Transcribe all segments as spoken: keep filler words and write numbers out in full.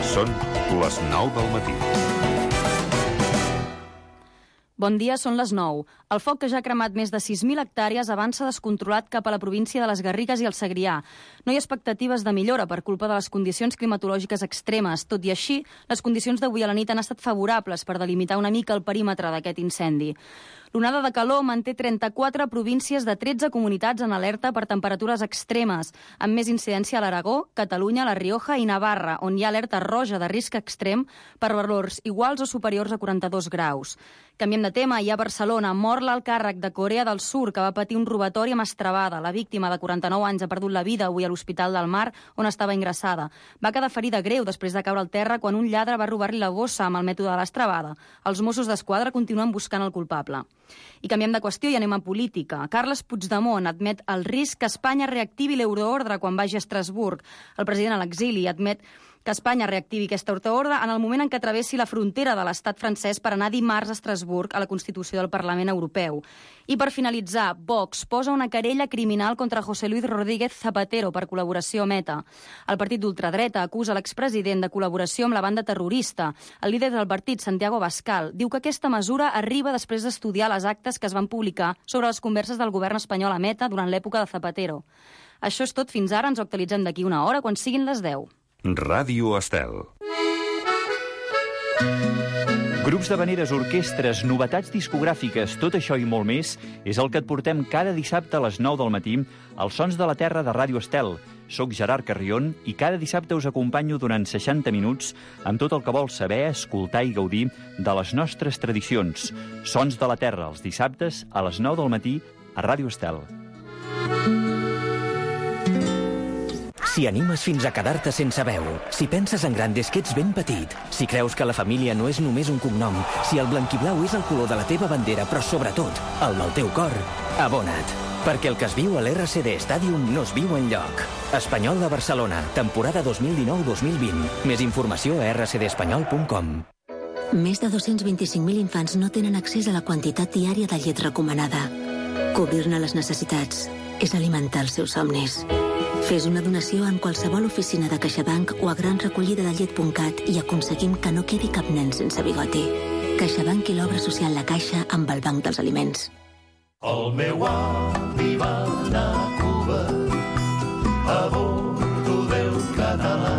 Són les nou del matí. Bon dia, són les nou. El foc, que ja ha cremat més de sis mil hectàrees, avança descontrolat cap a la província de les Garrigues i el Segrià. No hi ha expectatives de millora per culpa de les condicions climatològiques extremes. Tot i així, les condicions d'avui a la nit han estat favorables per delimitar una mica el perímetre d'aquest incendi. L'onada de calor manté trenta-quatre províncies de tretze comunitats en alerta per temperatures extremes, amb més incidència a l'Aragó, Catalunya, La Rioja i Navarra, on hi ha alerta roja de risc extrem per valors iguals o superiors a quaranta-dos graus. Canviem de tema, i a Barcelona mor l'alt càrrec de Corea del Sur, que va patir un robatori amb estrebada. La víctima, de quaranta-nou anys, ha perdut la vida avui a l'Hospital del Mar, on estava ingressada. Va quedar ferida greu després de caure al terra quan un lladre va robar-li la bossa amb el mètode de l'estrebada. Els Mossos d'Esquadra continuen buscant el culpable. I canviem de qüestió i anem a política. Carles Puigdemont admet el risc que Espanya reactivi l'euroordre quan vagi a Estrasburg. El president a l'exili admet que Espanya reactivi aquesta euroordre en el moment en què travessi la frontera de l'estat francès per anar dimarts a Estrasburg a la Constitució del Parlament Europeu. I per finalitzar, Vox posa una querella criminal contra José Luis Rodríguez Zapatero per col·laboració amb ETA. El partit d'ultradreta acusa l'expresident de col·laboració amb la banda terrorista. El líder del partit, Santiago Abascal, diu que aquesta mesura arriba després d'estudiar les actes que es van publicar sobre les converses del govern espanyol amb ETA durant l'època de Zapatero. Això és tot fins ara, ens ho actualitzem d'aquí una hora quan siguin les deu. Ràdio Estel. Grups d'havaneres, orquestres, novetats discogràfiques, tot això i molt més és el que et portem cada dissabte a les nou del matí als Sons de la Terra de Ràdio Estel. Soc Gerard Carrion i cada dissabte us acompanyo durant seixanta minuts amb tot el que vols saber, escoltar i gaudir de les nostres tradicions. Sons de la Terra, els dissabtes a les nou del matí a Ràdio Estel. Si animes fins a quedar-te sense veu, si penses en gran des que ets ben petit, si creus que la família no és només un cognom, si el blanquiblau és el color de la teva bandera, però sobretot el del teu cor, abona't. Perquè el que es viu a l'R C D Stadium no es viu enlloc. Espanyol de Barcelona, temporada dos mil dinou dos mil vint. Més informació a r c d espanyol punt com. Més de dos-cents vint-i-cinc mil infants no tenen accés a la quantitat diària de llet recomanada. Cobrir-ne les necessitats és alimentar els seus somnis. Fes una donació en qualsevol oficina de CaixaBank o a gran recollida de llet punt cat i aconseguim que no quedi cap nen sense bigoti. CaixaBank i l'obra social La Caixa amb el Banc dels Aliments. El meu avi va anar a Cuba a bordo del català.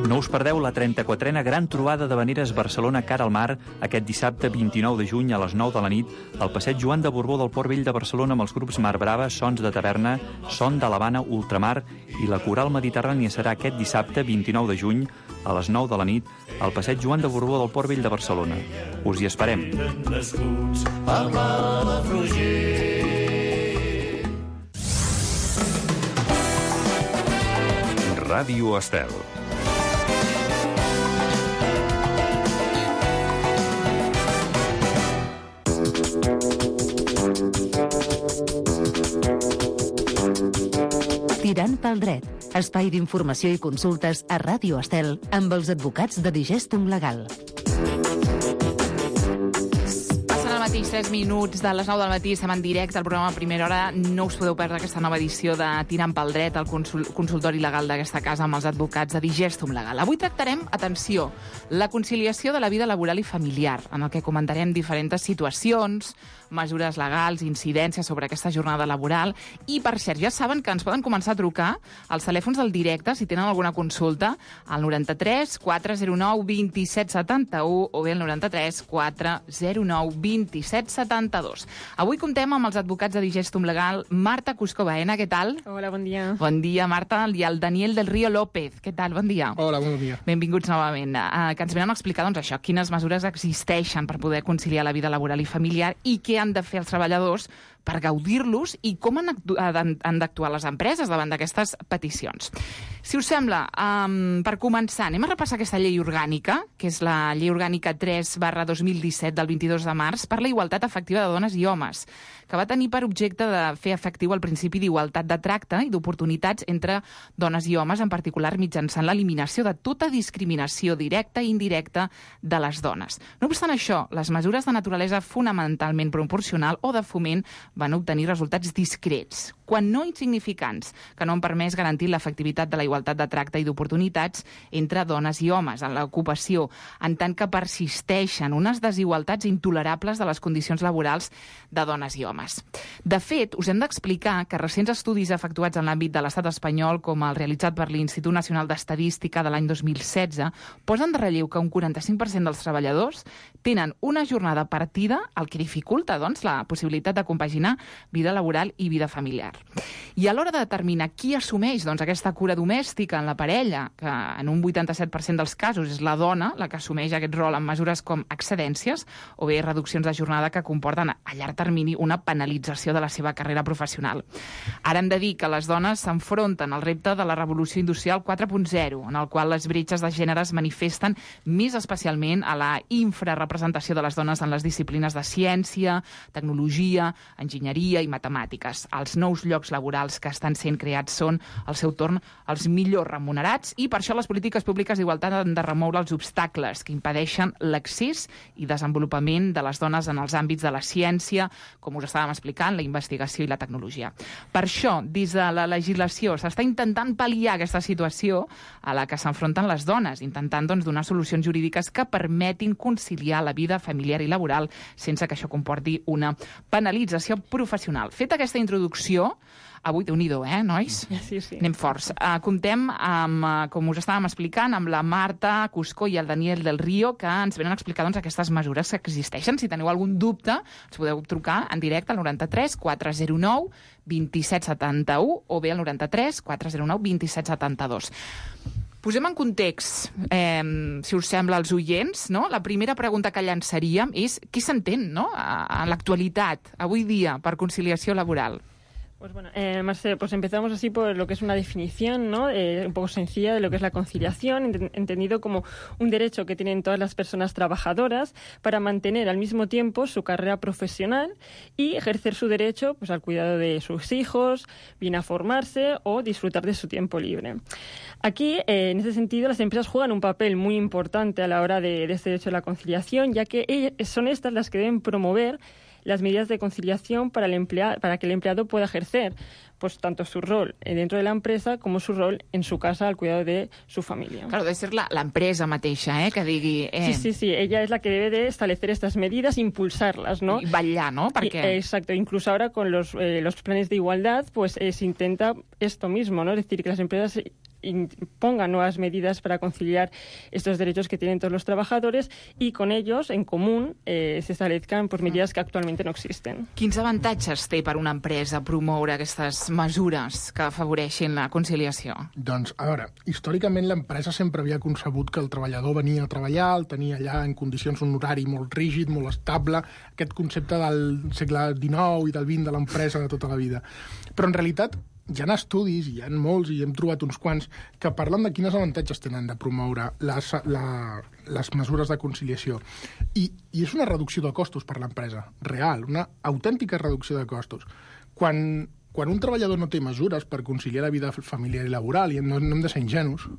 No us perdeu la trenta-quatrena gran trobada d'havaneres Barcelona cara al mar aquest dissabte vint-i-nou de juny a les nou de la nit al passeig Joan de Borbó del Port Vell de Barcelona amb els grups Mar Brava, Sons de Taverna, Son de l'Havana, Ultramar i la Coral Mediterrània. Serà aquest dissabte vint-i-nou de juny a les nou de la nit al passeig Joan de Borbó del Port Vell de Barcelona. Us hi esperem. Ràdio Estel. Tirant pel dret, espai d'informació i consultes a Ràdio Estel amb els advocats de Digestum Legal. Passen al mateix tres minuts de les nou del matí, estem en directe al programa a primera hora. No us podeu perdre aquesta nova edició de Tirant pel dret, el consul consultori legal d'aquesta casa amb els advocats de Digestum Legal. Avui tractarem, atenció, la conciliació de la vida laboral i familiar, en el que comentarem diferents situacions, mesures legals, incidències sobre aquesta jornada laboral. I, per cert, ja saben que ens poden començar a trucar als telèfons del directe si tenen alguna consulta al noranta-tres quatre zero nou dos set set u o bé al noranta-tres quatre zero nou dos set set dos. Avui comptem amb els advocats de Digestum Legal, Marta Cusco Baena, què tal? Hola, bon dia. Bon dia, Marta, i el Daniel del Río López, què tal? Bon dia. Hola, bon dia. Benvinguts novament. Uh, que ens venen a explicar, doncs, això, quines mesures existeixen per poder conciliar la vida laboral i familiar i què han de fer els treballadors per gaudir-los i com han, han d'actuar les empreses davant d'aquestes peticions. Si us sembla, um, per començar, anem a repassar aquesta llei orgànica, que és la llei orgànica tres barra dos mil disset del vint-i-dos de març per la igualtat efectiva de dones i homes, que va tenir per objecte de fer efectiu el principi d'igualtat de tracte i d'oportunitats entre dones i homes, en particular mitjançant l'eliminació de tota discriminació directa i indirecta de les dones. No obstant això, les mesures de naturalesa fonamentalment proporcional o de foment van obtenir resultats discrets, quan no insignificants, que no han permès garantir l'efectivitat de la igualtat de tracte i d'oportunitats entre dones i homes en l'ocupació, en tant que persisteixen unes desigualtats intolerables de les condicions laborals de dones i homes. De fet, us hem d'explicar que recents estudis efectuats en l'àmbit de l'estat espanyol, com el realitzat per l'Institut Nacional d'Estadística de l'any dos mil setze, posen de relleu que un quaranta-cinc per cent dels treballadors tenen una jornada partida, el que dificulta doncs, la possibilitat de compaginar vida laboral i vida familiar. I a l'hora de determinar qui assumeix doncs, aquesta cura domèstica en la parella, que en un vuitanta-set per cent dels casos és la dona la que assumeix aquest rol amb mesures com excedències o bé reduccions de jornada que comporten a llarg termini una penalització de la seva carrera professional. Ara hem de dir que les dones s'enfronten al repte de la revolució industrial quatre punt zero, en el qual les bretxes de gènere es manifesten més especialment a la infrarrepresentació de les dones en les disciplines de ciència, tecnologia, enginyeria i matemàtiques. Els nous llocs laborals que estan sent creats són, al seu torn, els millors remunerats i per això les polítiques públiques d'igualtat han de remoure els obstacles que impedeixen l'accés i desenvolupament de les dones en els àmbits de la ciència, com us estàvem explicant, la investigació i la tecnologia. Per això, des de la legislació s'està intentant pal·liar aquesta situació a la que s'enfronten les dones, intentant doncs, donar solucions jurídiques que permetin conciliar la vida familiar i laboral sense que això comporti una penalització professional. Feta aquesta introducció, avui, déu-n'hi-do, eh, nois? Sí, sí. Anem forts. Uh, comptem, amb, uh, com us estàvem explicant, amb la Marta Cuscó i el Daniel del Río, que ens venen a explicar doncs, aquestes mesures que existeixen. Si teniu algun dubte, ens podeu trucar en directe al noranta-tres quatre zero nou vint-i-set setanta-u o bé al noranta-tres quatre zero nou vint-i-set setanta-dos. Posem en context, eh, si us sembla, als oients, no? La primera pregunta que llançaríem és qui s'entén, no?, a, a l'actualitat, avui dia, per conciliació laboral. Pues bueno, eh, Marce, pues empezamos así por lo que es una definición, ¿no? Eh, un poco sencilla de lo que es la conciliación, ent- entendido como un derecho que tienen todas las personas trabajadoras para mantener al mismo tiempo su carrera profesional y ejercer su derecho pues al cuidado de sus hijos, bien a formarse o disfrutar de su tiempo libre. Aquí, eh, en ese sentido, las empresas juegan un papel muy importante a la hora de, de este derecho a la conciliación, ya que ellas, son estas las que deben promover las medidas de conciliación para, el emplea- para que el empleado pueda ejercer pues tanto su rol dentro de la empresa como su rol en su casa al cuidado de su familia. Claro, debe ser la, la empresa mateixa, eh, que digui... Eh... Sí, sí, sí, ella es la que debe de establecer estas medidas, impulsarlas, ¿no? Y vetllar, ¿no? Perquè... Y, exacto, incluso ahora con los, eh, los planes de igualdad, pues eh, se intenta esto mismo, ¿no? Es decir, que las empresas pongan nuevas medidas para conciliar estos derechos que tienen todos los trabajadores y con ellos, en común, eh, se establezcan pues, medidas que actualmente no existen. Quins avantatges té per una empresa promoure aquestes mesures que afavoreixin la conciliació? Doncs, a veure, històricament l'empresa sempre havia concebut que el treballador venia a treballar, el tenia allà en condicions un horari molt rígid, molt estable, aquest concepte del segle dinou i del vint de l'empresa de tota la vida. Però en realitat hi ha estudis, hi ha molts, i hem trobat uns quants, que parlen de quins avantatges tenen de promoure les, la, les mesures de conciliació. I, I és una reducció de costos per l'empresa, real, una autèntica reducció de costos. Quan, quan un treballador no té mesures per conciliar la vida familiar i laboral, i no, no hem de ser ingenus,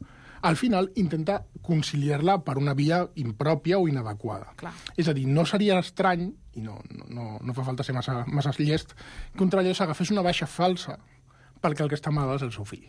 al final intenta conciliar-la per una via impròpia o inadequada. Clar. És a dir, no seria estrany, i no, no, no fa falta ser massa, massa llest, que un treballador s'agafés una baixa falsa perquè el que està malalt és el seu fill.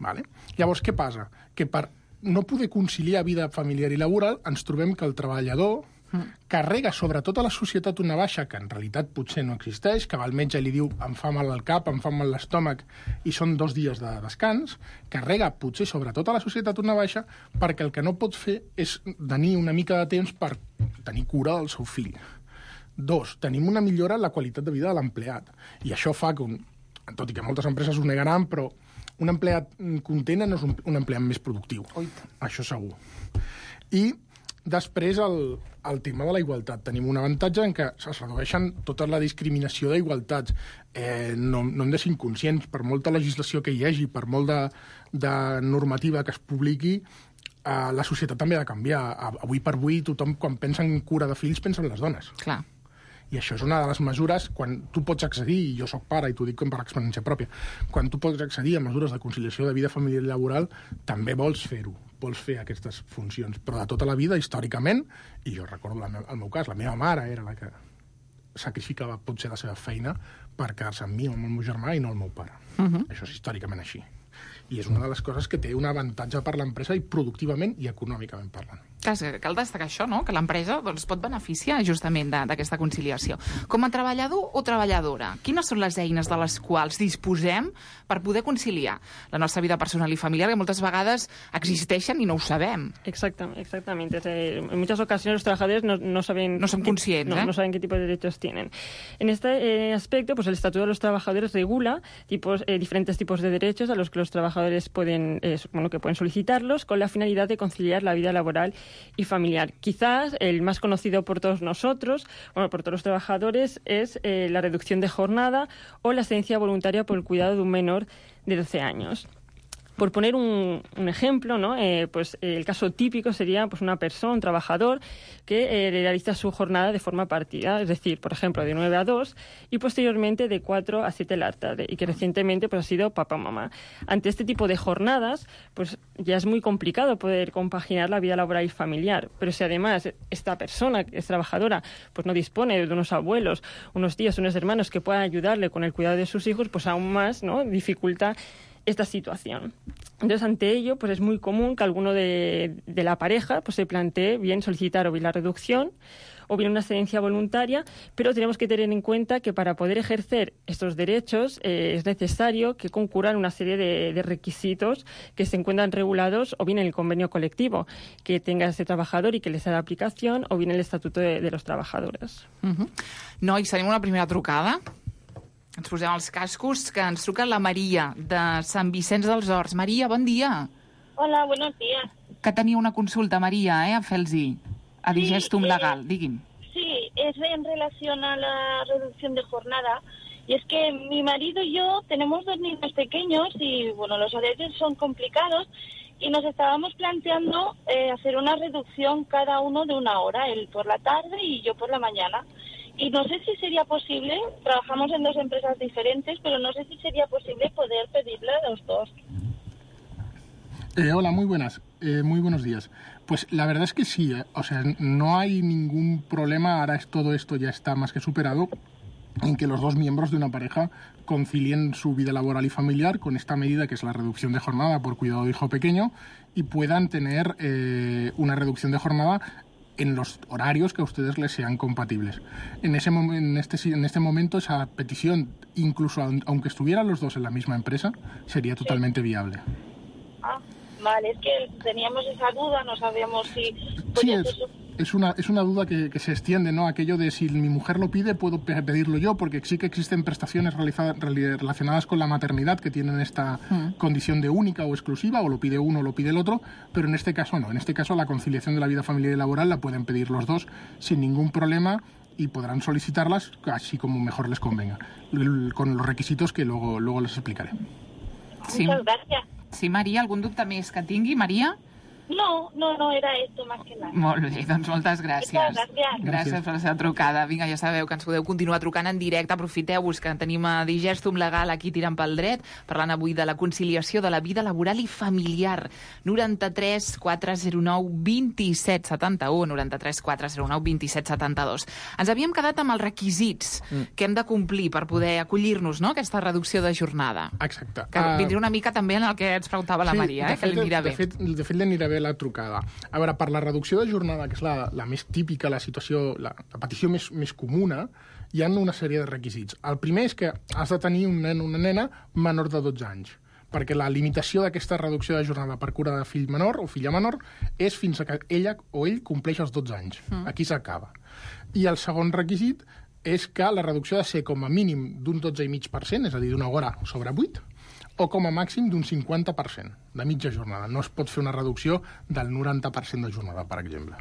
Vale? Llavors, què passa? Que per no poder conciliar vida familiar i laboral ens trobem que el treballador mm. carrega sobre tota la societat una baixa que en realitat potser no existeix, que va al metge i li diu em fa mal el cap, em fa mal l'estómac i són dos dies de descans, carrega potser sobre tota la societat una baixa perquè el que no pot fer és tenir una mica de temps per tenir cura del seu fill. Dos, tenim una millora en la qualitat de vida de l'empleat i això fa que un tot i que moltes empreses ho negaran, però un empleat content no és un, un empleat més productiu. Oita. Això segur. I després el, el tema de la igualtat. Tenim un avantatge en què es redueixen tota la discriminació d'igualtats. Eh, no, no hem de ser inconscients, per molta legislació que hi hagi, per molt de, de normativa que es publiqui, eh, la societat també ha de canviar. Avui per avui tothom, quan pensa en cura de fills, pensa en les dones. Clar. I això és una de les mesures, quan tu pots accedir, i jo sóc pare i t'ho dic com per experiència pròpia, quan tu pots accedir a mesures de conciliació de vida familiar i laboral, també vols fer-ho, vols fer aquestes funcions. Però de tota la vida, històricament, i jo recordo la me- el meu cas, la meva mare era la que sacrificava potser la seva feina per quedar-se amb mi o amb el meu germà i no el meu pare. Uh-huh. Això és històricament així. I és una de les coses que té un avantatge per l'empresa i productivament i econòmicament parlant. Clar, cal destacar això, no? Que l'empresa doncs, pot beneficiar justament d'aquesta conciliació. Com a treballador o treballadora, quines són les eines de les quals disposem per poder conciliar la nostra vida personal i familiar, que moltes vegades existeixen i no ho sabem? Exactamente, exactamente. En muchas ocasiones los trabajadores no, no saben... No son conscientes, no, ¿eh? no saben qué tipo de derechos tienen. En este eh, aspecto, pues el Estatuto de los Trabajadores regula tipos, eh, diferentes tipos de derechos a los que los trabajadores pueden, eh, bueno, que pueden solicitarlos con la finalidad de conciliar la vida laboral y familiar. Quizás el más conocido por todos nosotros, bueno, por todos los trabajadores, es eh, la reducción de jornada o la excedencia voluntaria por el cuidado de un menor de doce años. Por poner un, un ejemplo, ¿no? eh, pues eh, el caso típico sería pues una persona, un trabajador, que eh, realiza su jornada de forma partida, es decir, por ejemplo, de nueve a dos y posteriormente de cuatro a siete de la tarde, y que recientemente pues, ha sido papá o mamá. Ante este tipo de jornadas, pues ya es muy complicado poder compaginar la vida laboral y familiar, pero si además esta persona, que es trabajadora, pues no dispone de unos abuelos, unos tíos, unos hermanos que puedan ayudarle con el cuidado de sus hijos, pues aún más, ¿no? Dificulta esta situación. Entonces, ante ello, pues es muy común que alguno de, de la pareja pues se plantee bien solicitar o bien la reducción o bien una excedencia voluntaria, pero tenemos que tener en cuenta que para poder ejercer estos derechos eh, es necesario que concurran una serie de, de requisitos que se encuentran regulados o bien en el convenio colectivo que tenga ese trabajador y que les haga aplicación, o bien el Estatuto de, de los Trabajadores. Uh-huh. Nois, tenim una primera trucada. Ens posem els cascos, que ens truca la Maria, de Sant Vicenç dels Horts. Maria, bon dia. Hola, buenos días. Que tenia una consulta, Maria, eh, a Felsi, a Digestum sí, Legal. Eh, Digui'm. Sí, es en relación a la reducción de jornada. Y es que mi marido y yo tenemos dos niños pequeños y, bueno, los horarios son complicados y nos estábamos planteando eh, hacer una reducción cada uno de una hora, él por la tarde y yo por la mañana. Y no sé si sería posible, trabajamos en dos empresas diferentes, pero no sé si sería posible poder pedirle a los dos. Eh, hola, muy buenas, eh, muy buenos días. Pues la verdad es que sí, eh. O sea, no hay ningún problema, ahora es, todo esto ya está más que superado, en que los dos miembros de una pareja concilien su vida laboral y familiar con esta medida que es la reducción de jornada por cuidado de hijo pequeño y puedan tener eh, una reducción de jornada en los horarios que a ustedes les sean compatibles. En, ese mom- en, este, en este momento esa petición, incluso aunque estuvieran los dos en la misma empresa, sería totalmente sí. viable. Ah, vale, es que teníamos esa duda, no sabíamos si... Sí, es, es, una, es una duda que, que se extiende, ¿no? Aquello de si mi mujer lo pide, puedo pedirlo yo, porque sí que existen prestaciones realizadas, relacionadas con la maternidad que tienen esta mm. condición de única o exclusiva, o lo pide uno o lo pide el otro, pero en este caso no. En este caso la conciliación de la vida familiar y laboral la pueden pedir los dos sin ningún problema y podrán solicitarlas así como mejor les convenga, con los requisitos que luego, luego les explicaré. Sí. Muchas gracias. Sí, Maria, algun dubte més que tingui, Maria? No, no, no, era esto más que nada. Molt bé, doncs moltes gràcies. Muchas gracias. Gràcies per la seva trucada. Vinga, ja sabeu que ens podeu continuar trucant en directe. Aprofiteu-vos que tenim a Digestum Legal aquí tirant pel dret, parlant avui de la conciliació de la vida laboral i familiar. noranta-tres quatre zero nou vint set setanta u, noranta-tres quatre zero nou vint set setanta dos. Ens havíem quedat amb els requisits mm. que hem de complir per poder acollir-nos, no?, a aquesta reducció de jornada. Exacte. Que uh... vindria una mica també en el que ens preguntava la sí, Maria, eh, fet, que li anirà de bé. Fet, de fet, li anirà bé la trucada. A veure, per la reducció de jornada, que és la, la més típica, la situació, la, la petició més, més comuna, hi ha una sèrie de requisits. El primer és que has de tenir un nen o una nena menor de dotze anys, perquè la limitació d'aquesta reducció de jornada per cura de fill menor o filla menor és fins a que ella o ell compleix els dotze anys. Mm. Aquí s'acaba. I el segon requisit és que la reducció ha de ser com a mínim d'un dotze coma cinc per cent, és a dir, d'una hora sobre vuit, o com a màxim d'un cinquanta per cent de mitja jornada. No es pot fer una reducció del noranta per cent de jornada, per exemple.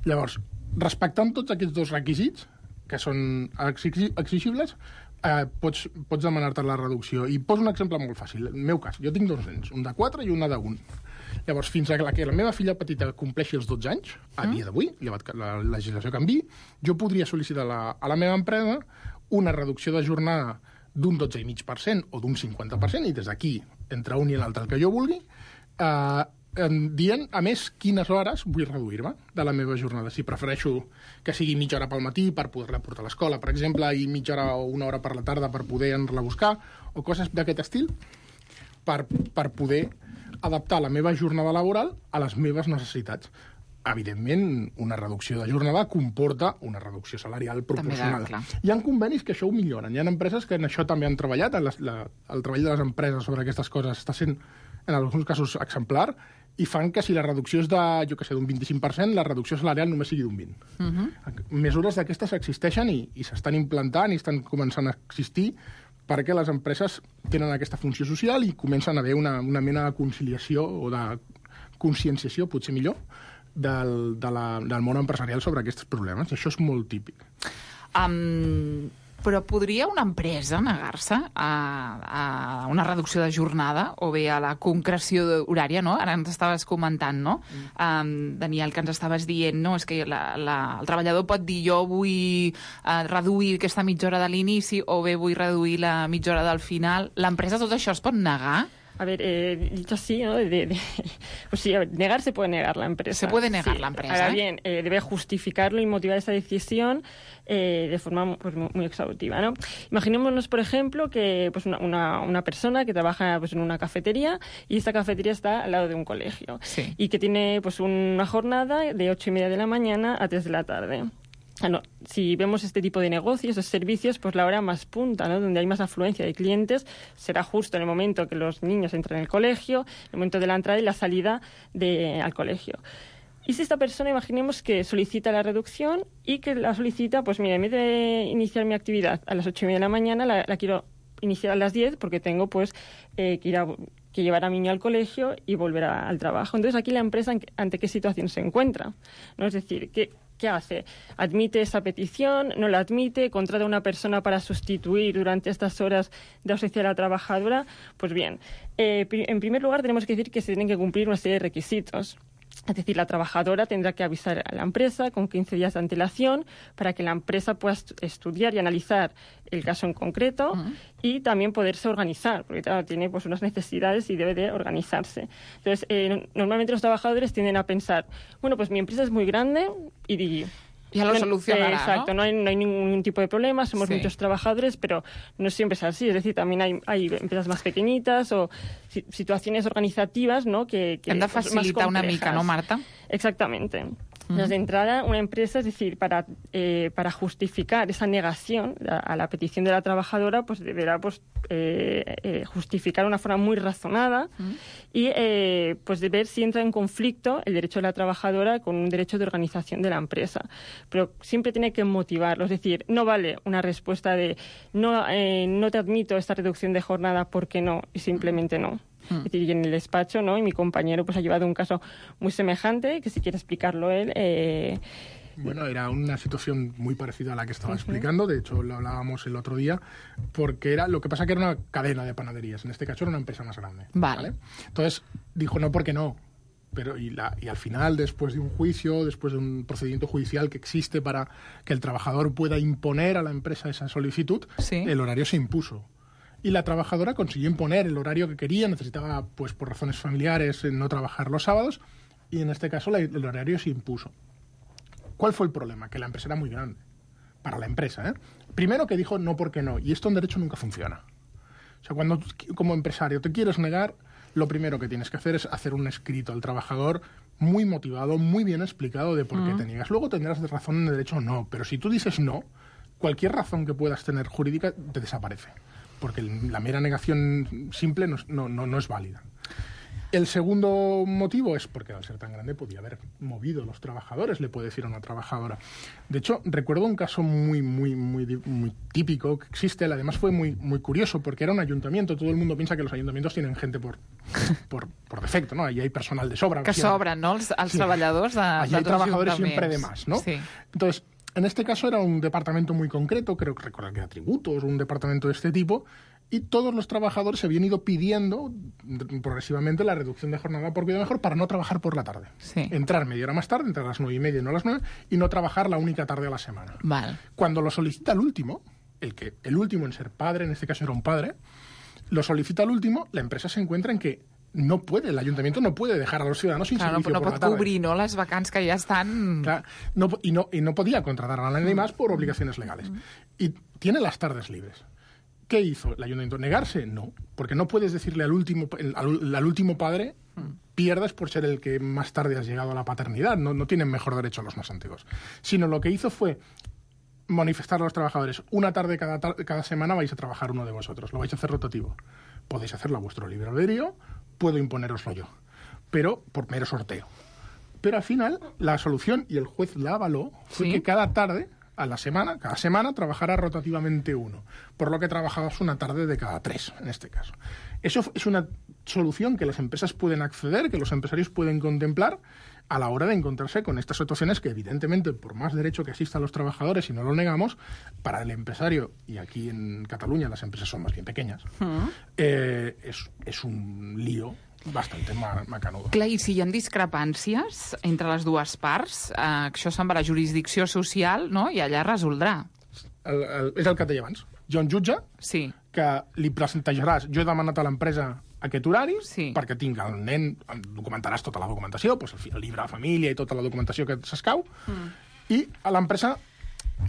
Llavors, respectant tots aquests dos requisits, que són exigibles, eh, pots, pots demanar-te la reducció. I poso un exemple molt fàcil. El meu cas, jo tinc dos nens, un de quatre i una d'un. Llavors, fins a que la meva filla petita compleixi els dotze anys, a dia d'avui, llevat que la legislació canvi, jo podria sol·licitar la, a la meva empresa una reducció de jornada d'un dotze coma cinc per cent o d'un cinquanta per cent, i des d'aquí, entre un i l'altre, el que jo vulgui, eh, dient, a més, quines hores vull reduir-me de la meva jornada. Si prefereixo que sigui mitja hora pel matí per poder-la portar a l'escola, per exemple, i mitja hora o una hora per la tarda per poder anar-la a buscar, o coses d'aquest estil, per, per poder adaptar la meva jornada laboral a les meves necessitats. Evidentment, una reducció de jornada comporta una reducció salarial proporcional. Hi ha convenis que això ho milloren. Hi ha empreses que en això també han treballat. La, la, el treball de les empreses sobre aquestes coses està sent, en alguns casos, exemplar, i fan que si la reducció és de, jo què sé, d'un vint-i-cinc per cent, la reducció salarial només sigui d'un vint per cent. Uh-huh. Mesures d'aquestes existeixen i, i s'estan implantant i estan començant a existir perquè les empreses tenen aquesta funció social i comencen a haver una, una mena de conciliació o de conscienciació, potser millor, del, de la, del món empresarial sobre aquests problemes. Això és molt típic. Um, però podria una empresa negar-se a, a una reducció de jornada o bé a la concreció horària, no? Ara ens estaves comentant, no? Mm. Um, Daniel, que ens estaves dient, no? És que la, la, el treballador pot dir jo vull uh, reduir aquesta mitja hora de l'inici o bé vull reduir la mitja hora del final. L'empresa tot això es pot negar? A ver, eh, dicho así, ¿no? De, de, pues sí, a ver, negar se puede negar la empresa. Se puede negar sí. la empresa. Ahora ¿eh? bien, eh, debe justificarlo y motivar esa decisión eh, de forma pues, muy, muy exhaustiva, ¿no? Imaginémonos, por ejemplo, que pues una, una, una persona que trabaja pues, en una cafetería y esta cafetería está al lado de un colegio sí. y que tiene pues una jornada de ocho y media de la mañana a tres de la tarde. Ah, no. Si vemos este tipo de negocios, de servicios, pues la hora más punta, ¿no? Donde hay más afluencia de clientes, será justo en el momento que los niños entran en el colegio, el momento de la entrada y la salida de, al colegio. Y si esta persona, imaginemos que solicita la reducción y que la solicita, pues mira, en vez de iniciar mi actividad a las ocho y media de la mañana, la, la quiero iniciar a las diez porque tengo pues eh, que ir a... que llevar a mi niño al colegio y volver a, al trabajo. Entonces, aquí la empresa, ¿ante qué situación se encuentra? ¿No? Es decir, ¿qué, ¿qué hace? ¿Admite esa petición? ¿No la admite? ¿Contrata a una persona para sustituir durante estas horas de ausencia de la trabajadora? Pues bien, eh, en primer lugar tenemos que decir que se tienen que cumplir una serie de requisitos. Es decir, la trabajadora tendrá que avisar a la empresa con quince días de antelación para que la empresa pueda estudiar y analizar el caso en concreto uh-huh. y también poderse organizar, porque claro, tiene pues unas necesidades y debe de organizarse. Entonces, eh, normalmente los trabajadores tienden a pensar, bueno, pues mi empresa es muy grande y... Ya lo solucionará, eh, Exacto, ¿no? No hay, no hay ningún tipo de problema, somos sí. muchos trabajadores, pero no siempre es así. Es decir, también hay, hay empresas más pequeñitas o si, situaciones organizativas, ¿no? Que, que hem de facilitar una mica, ¿no, Marta? Exactamente. Entonces, de entrada, una empresa, es decir, para, eh, para justificar esa negación a, a la petición de la trabajadora, pues deberá pues, eh, eh, justificar de una forma muy razonada uh-huh. y eh, pues de ver si entra en conflicto el derecho de la trabajadora con un derecho de organización de la empresa. Pero siempre tiene que motivarlo, es decir, no vale una respuesta de no, eh, no te admito esta reducción de jornada porque no, y simplemente no. Es decir, y en el despacho, ¿no? Y mi compañero pues ha llevado un caso muy semejante, que si quiere explicarlo él... Eh... Bueno, era una situación muy parecida a la que estaba uh-huh. explicando, de hecho lo hablábamos el otro día, porque era lo que pasa que era una cadena de panaderías, en este caso era una empresa más grande. Vale. ¿vale? Entonces dijo no porque no, pero y, la, y al final, después de un juicio, después de un procedimiento judicial que existe para que el trabajador pueda imponer a la empresa esa solicitud, ¿sí? El horario se impuso. Y la trabajadora consiguió imponer el horario que quería, necesitaba, pues por razones familiares, no trabajar los sábados, y en este caso la, el horario se impuso. ¿Cuál fue el problema? Que la empresa era muy grande, para la empresa, ¿eh? Primero que dijo no porque no, y esto en derecho nunca funciona. O sea, cuando como empresario te quieres negar, lo primero que tienes que hacer es hacer un escrito al trabajador muy motivado, muy bien explicado de por qué uh-huh. te niegas. Luego tendrás razón en derecho o no, pero si tú dices no, cualquier razón que puedas tener jurídica te desaparece, porque la mera negación simple no, no, no, no es válida. El segundo motivo es porque al ser tan grande podía haber movido a los trabajadores, le puede decir a una trabajadora. De hecho, recuerdo un caso muy, muy, muy, muy típico que existe, además fue muy, muy curioso porque era un ayuntamiento, todo el mundo piensa que los ayuntamientos tienen gente por, por, por defecto, ¿no? Ahí hay personal de sobra. Que sobran, no? Els, els sí. treballadors de, Allí hay trabajadores siempre de más, ¿no? Sí. Entonces, en este caso era un departamento muy concreto, creo que recordar que era tributos, un departamento de este tipo, y todos los trabajadores se habían ido pidiendo progresivamente la reducción de jornada por cuidado mejor para no trabajar por la tarde. Sí. Entrar media hora más tarde, entrar a las nueve y media y no a las nueve, y no trabajar la única tarde a la semana. Vale. Cuando lo solicita el último, el, que, el último en ser padre, en este caso era un padre, lo solicita el último, la empresa se encuentra en que no puede, el ayuntamiento no puede dejar a los ciudadanos sin claro, servicio no, no por pot la tarde. cubrir, ¿no?, las vacants que ya están... Claro, no, y, no, y no podía contratar a nadie más por obligaciones legales. Y tiene las tardes libres. ¿Qué hizo el ayuntamiento? ¿Negarse? No, porque no puedes decirle al último, al, al último padre pierdes por ser el que más tarde has llegado a la paternidad, no, no tienen mejor derecho los más antiguos. Sino lo que hizo fue manifestar a los trabajadores, una tarde cada, tar- cada semana vais a trabajar uno de vosotros, lo vais a hacer rotativo. Podéis hacerlo a vuestro libre albedrío, puedo imponeroslo yo, pero por mero sorteo. Pero al final, la solución, y el juez la avaló, fue ¿Sí? que cada tarde, a la semana, cada semana trabajara rotativamente uno, por lo que trabajabas una tarde de cada tres, en este caso. Eso es una solución que las empresas pueden acceder, que los empresarios pueden contemplar a la hora de encontrarse con estas situaciones que, evidentemente, por más derecho que exista a los trabajadores, y no lo negamos, para el empresario, y aquí en Cataluña las empresas son más bien pequeñas, Mm. eh, és, és un lío bastante ma macanudo. Clar, i si hi ha discrepàncies entre les dues parts, eh, això se'n va a la jurisdicció social, no?, i allà resoldrà. El, el, és el que et deia abans. Hi ha un jutge sí. que li presentejaràs, jo he demanat a l'empresa aquest horari sí. perquè tinc el nen, documentaràs tota la documentació, doncs el, el llibre de família i tota la documentació que s'escau, mm. i a l'empresa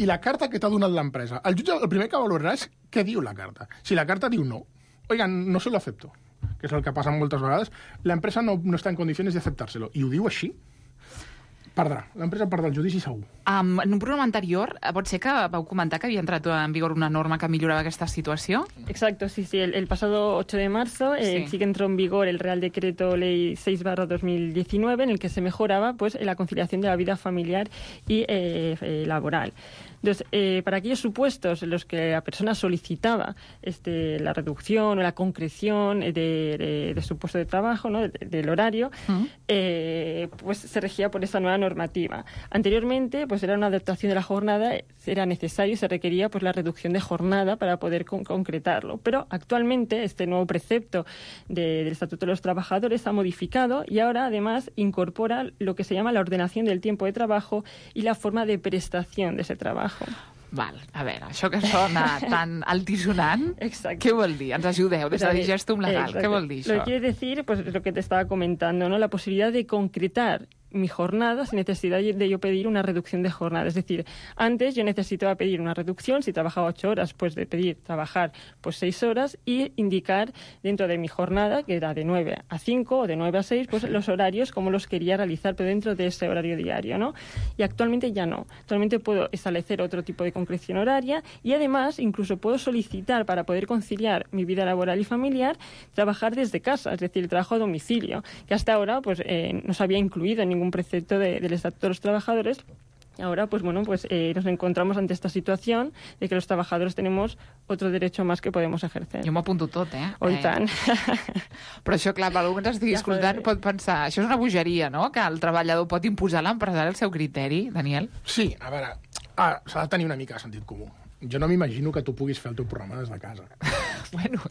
i la carta que t'ha donat l'empresa. El jutge el primer que valorarà és què diu la carta. Si la carta diu no, oigan, no se lo acepto, que és el que passa moltes vegades, l'empresa no, no està en condicions d'aceptar-se-lo, i ho diu així, perdrà. L'empresa perdrà el judici segur. Um, en un programa anterior, pot ser que vau comentar que havia entrat en vigor una norma que milloraba esta situación. Exacto, sí, sí. El, el pasado ocho de marzo eh, sí. sí que entró en vigor el Real Decreto Ley seis barra dos mil diecinueve, en el que se mejoraba pues la conciliación de la vida familiar y eh, eh, laboral. Entonces, eh, para aquellos supuestos en los que la persona solicitaba este, la reducción o la concreción de, de, de su puesto de trabajo, ¿no?, de, del horario, uh-huh. eh, pues se regía por esa nueva normativa. Anteriormente, pues era una adaptación de la jornada, era necesario y se requería pues la reducción de jornada para poder con- concretarlo. Pero actualmente este nuevo precepto de, del Estatuto de los Trabajadores ha modificado y ahora además incorpora lo que se llama la ordenación del tiempo de trabajo y la forma de prestación de ese trabajo. Val, a veure, això que sona tan altisonant, què vol dir? Ens ajudeu des de Digestum Legal. Exacto. Què vol dir això? Lo que quiere decir, pues lo que te estaba comentando, ¿no?, la posibilidad de concretar mi jornada sin necesidad de yo pedir una reducción de jornada. Es decir, antes yo necesitaba pedir una reducción, si trabajaba ocho horas, pues de pedir trabajar pues seis horas y indicar dentro de mi jornada, que era de nueve a cinco o de nueve a seis, pues los horarios como los quería realizar, pero dentro de ese horario diario, ¿no? Y actualmente ya no. Actualmente puedo establecer otro tipo de concreción horaria y además incluso puedo solicitar para poder conciliar mi vida laboral y familiar trabajar desde casa, es decir, el trabajo a domicilio, que hasta ahora pues eh, no se había incluido en ningún un precepto de, del Estatuto de los Trabajadores. Ahora, pues bueno, pues eh, nos encontramos ante esta situación de que los trabajadores tenemos otro derecho más que podemos ejercer. Jo m'ho apunto tot, eh? Oh, i eh. tant. Però això, clar, algú que ens estigui Ja, escoltant pot pensar, això és una bogeria, no?, que el treballador pot imposar a l'empresari el seu criteri, Daniel? Sí, a veure, ah, s'ha de tenir una mica de sentit comú. Jo no m'imagino que tu puguis fer el teu programa des de casa. bueno...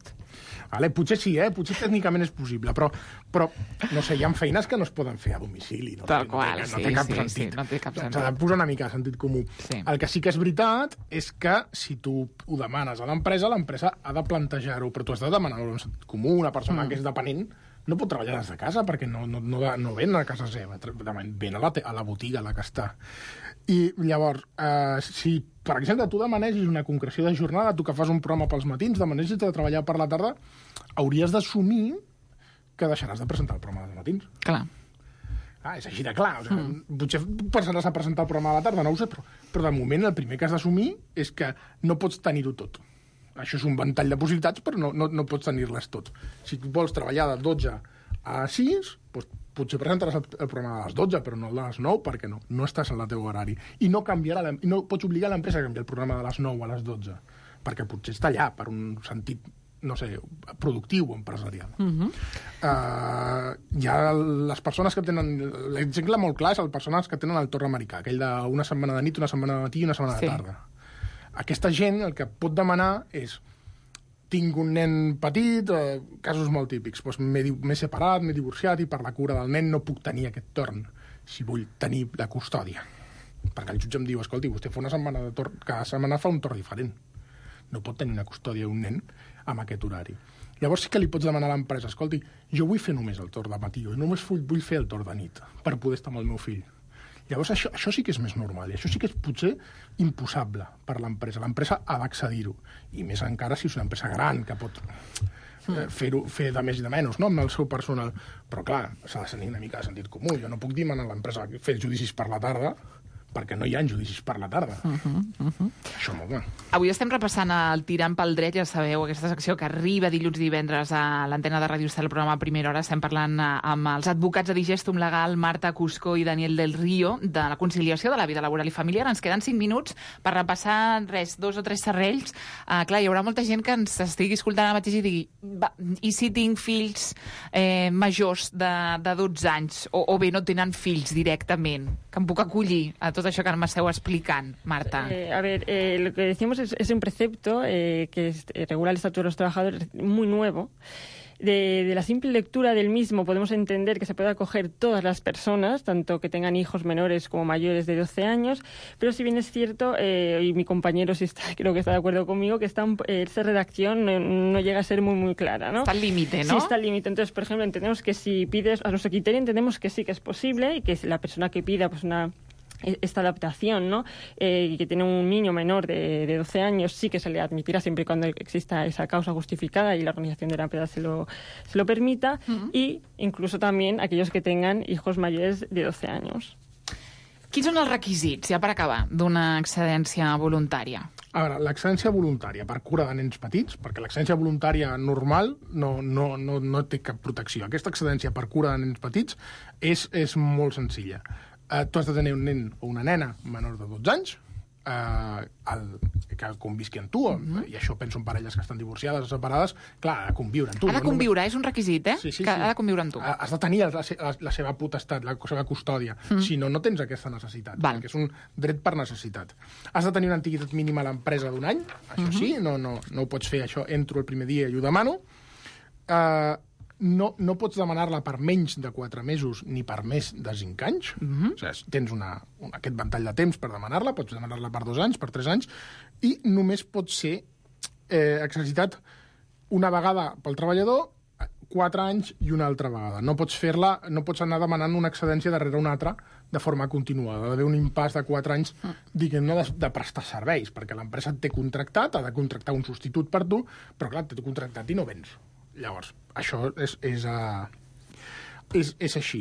Vale, potser sí, eh? Potser tècnicament és possible, però, però no sé, hi ha feines que no es poden fer a domicili. No? Tal no, qual, no, sí, no té cap sí, sentit. sí, no té cap sentit. S'ha de posar una mica de sentit comú. Sí. El que sí que és veritat és que si tu ho demanes a l'empresa, l'empresa ha de plantejar-ho, però tu has de demanar un sentit comú, una persona mm. que és dependent no pot treballar des de casa perquè no, no, no, no ven a casa seva, ven a la, a la botiga a la que està. I llavors, eh, si, per exemple, tu demanessis una concreció de jornada, tu que fas un programa pels matins, demanessis de treballar per la tarda, hauries d'assumir que deixaràs de presentar el programa dels matins. Clar. Ah, és així de clar. O sigui, mm. Potser passaràs a presentar el programa a la tarda, no ho sé, però, però de moment el primer que has d'assumir és que no pots tenir-ho tot. Això és un ventall de possibilitats, però no, no, no pots tenir-les tot. Si tu vols treballar de dotze a sis, doncs potser presentaràs el, el programa a les dotze, però no a les nou, perquè no, no estàs en el teu horari. I no, canviarà la, no pots obligar l'empresa a canviar el programa de les nou a les dotze, perquè potser està allà per un sentit, no sé, productiu o empresarial. Uh-huh. Uh, hi ha les persones que tenen... L'exemple molt clar és les persones que tenen el torn americà, aquell d'una setmana de nit, una setmana de matí i una setmana sí. de tarda. Aquesta gent el que pot demanar és tinc un nen petit, eh, casos molt típics, doncs m'he separat, m'he divorciat i per la cura del nen no puc tenir aquest torn si vull tenir la custòdia. Perquè el jutge em diu, escolti, vostè fa una setmana de torn, cada setmana fa un torn diferent. No pot tenir una custòdia d'un nen amb aquest horari. Llavors sí que li pots demanar a l'empresa, escolti, jo vull fer només el torn de matí, jo només vull, vull fer el torn de nit per poder estar amb el meu fill. Llavors això, això sí que és més normal, i això sí que és potser imposable per l'empresa. L'empresa ha d'accedir-ho, i més encara si és una empresa gran que pot eh, fer-ho fer de més i de menys, no?, amb el seu personal. Però clar, s'ha de tenir una mica de sentit comú. Jo no puc dir a l'empresa fer judicis per la tarda perquè no hi ha judicis per la tarda. Uh -huh, uh -huh. Això molt bé. Avui estem repassant el Tirant pel dret, ja sabeu, aquesta secció que arriba dilluns i divendres a l'antena de Ràdio Estel, el programa a primera hora. Estem parlant amb els advocats de Digestum Legal, Marta Cuscó i Daniel del Río, de la conciliació de la vida laboral i familiar. Ens queden cinc minuts per repassar res, dos o tres serrells. Uh, clar, hi haurà molta gent que ens estigui escoltant ara mateix i digui, va, i si tinc fills eh, majors de, de dotze anys, o, o bé no tenen fills directament, que em puc acollir a tot això que m'esteu explicant, Marta? Eh, a ver, eh, lo que decimos es, es un precepto eh, que es, eh, regula el Estatuto de los Trabajadores, muy nuevo. De, de la simple lectura del mismo podemos entender que se puede acoger todas las personas, tanto que tengan hijos menores como mayores de doce años, pero si bien es cierto, eh, y mi compañero sí está, creo que está de acuerdo conmigo, que está, eh, esa redacción no, no llega a ser muy muy clara, ¿no? Está al límite, ¿no? Sí, está al límite. Entonces, por ejemplo, entendemos que si pides, a nuestro criterio entendemos que sí que es posible y que la persona que pida pues una esta adaptación, ¿no? Eh, que tiene un niño menor de, de doce años, sí que se le admitirá siempre y cuando exista esa causa justificada y la organización de la empresa se lo, se lo permita, uh-huh. y incluso también aquellos que tengan hijos mayores de doce años. Quins són els requisits, ja per acabar, d'una excedència voluntària? A veure, l'excedència voluntària per cura de nens petits, perquè l'excedència voluntària normal no, no, no, no té cap protecció. Aquesta excedència per cura de nens petits és, és molt senzilla. Uh, tu has de tenir un nen o una nena menor de dotze anys uh, el, que convisqui amb tu, mm-hmm. i això penso en parelles que estan divorciades o separades, clar, ha de conviure amb tu. Ha de no conviure, només... és un requisit, eh? Sí, sí, que sí. Ha de conviure amb tu. Has de tenir la, la, la seva potestat, la seva custòdia, mm. si no, no tens aquesta necessitat, Val. perquè és un dret per necessitat. Has de tenir una antiguitat mínima a l'empresa d'un any, això mm-hmm. sí, no, no, no ho pots fer, això entro el primer dia i ho demano. Uh, No, no pots demanar-la per menys de quatre mesos ni per més de cinc anys. Mm-hmm. O sigui, tens una, una, aquest ventall de temps per demanar-la, pots demanar-la per dos anys, per tres anys, i només pot ser eh, exercitat una vegada pel treballador, quatre anys i una altra vegada. No pots fer-la, no pots anar demanant una excedència darrere una altra de forma continuada. Ha d'haver un impàs de quatre anys, diguem-ne, de, de prestar serveis, perquè l'empresa et té contractat, ha de contractar un substitut per tu, però clar, t'he contractat i no vens. Llavors, això és, és, uh, és, és així.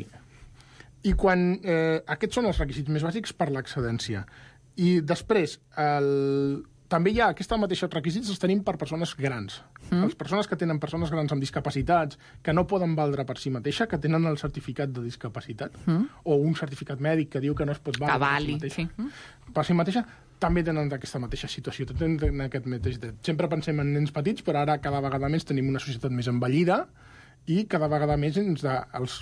I quan... Eh, aquests són els requisits més bàsics per l'excedència. I després, el, també hi ha aquests mateixos requisits els tenim per persones grans. Mm. Les persones que tenen persones grans amb discapacitats, que no poden valdre per si mateixa, que tenen el certificat de discapacitat, mm. o un certificat mèdic que diu que no es pot valdre per si mateixa, sí. per si mateixa, també tenen aquesta mateixa situació, tenen aquest mateix dret. Sempre pensem en nens petits, però ara cada vegada més tenim una societat més envellida i cada vegada més ens de, els,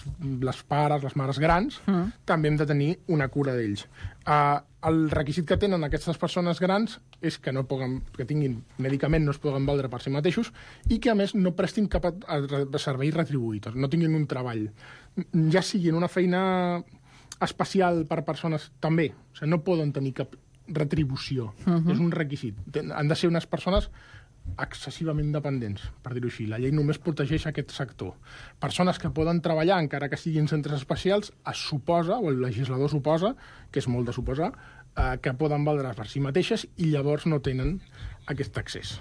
les pares, les mares grans, mm. també hem de tenir una cura d'ells. Uh, el requisit que tenen aquestes persones grans és que no poden, que tinguin medicament, no es poden valdre per si mateixos i que, a més, no prestin cap a, a servei retribuït, no tinguin un treball. Ja sigui en una feina especial per persones, també. O sigui, no poden tenir cap retribució. Uh-huh. És un requisit. Han de ser unes persones excessivament dependents, per dir-ho així. La llei només protegeix aquest sector. Persones que poden treballar, encara que siguin centres especials, es suposa, o el legislador suposa, que és molt de suposar, eh, que poden valdre per si mateixes i llavors no tenen aquest accés.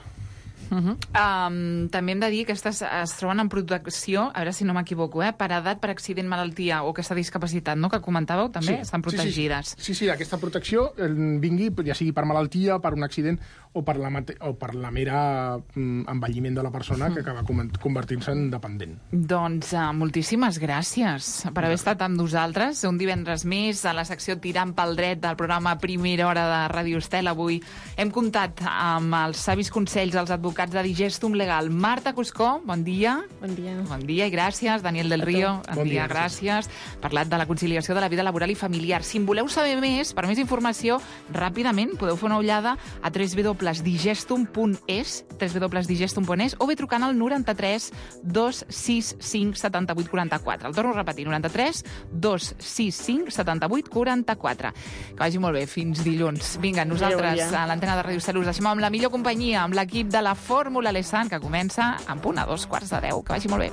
Uh-huh. um, també hem de dir que aquestes es troben en protecció, a veure si no m'equivoco, eh, per edat, per accident, malaltia o aquesta discapacitat, no?, que comentàveu, també sí, estan protegides. Sí, sí, sí, sí, aquesta protecció eh, vingui, ja sigui per malaltia, per un accident o per la, mate- o per la mera mm, envelliment de la persona que acaba convertint-se en dependent. Doncs uh, moltíssimes gràcies per haver estat amb nosaltres un divendres més a la secció Tirant pel dret del programa Primera Hora de Ràdio Estel. Avui hem comptat amb els savis consells dels advocats de Digestum Legal. Marta Cuscó, bon dia. Bon dia. Bon dia i gràcies. Daniel del Río, bon, bon dia, gràcies. Parlat de la conciliació de la vida laboral i familiar. Si en voleu saber més, per més informació, ràpidament podeu fer una ullada a w w w punt digestum punt es, w w w punt digestum punt es, o bé trucant al noranta-tres dos sis cinc setanta-vuit quaranta-quatre. El torno a repetir, noranta-tres dos sis cinc setanta-vuit quaranta-quatre. Que vagi molt bé, fins dilluns. Vinga, nosaltres a l'antena de Ràdio Estel us deixem amb la millor companyia, amb l'equip de la Fórmula Lesan, que comença en punt a dos quarts de deu. Que vagi molt bé.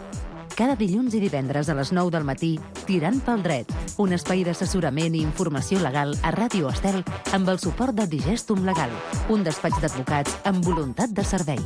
Cada dilluns i divendres a les nou del matí, Tirant pel dret, un espai d'assessorament i informació legal a Ràdio Estel amb el suport de Digestum Legal, un despatx d'advocats amb voluntat de servei.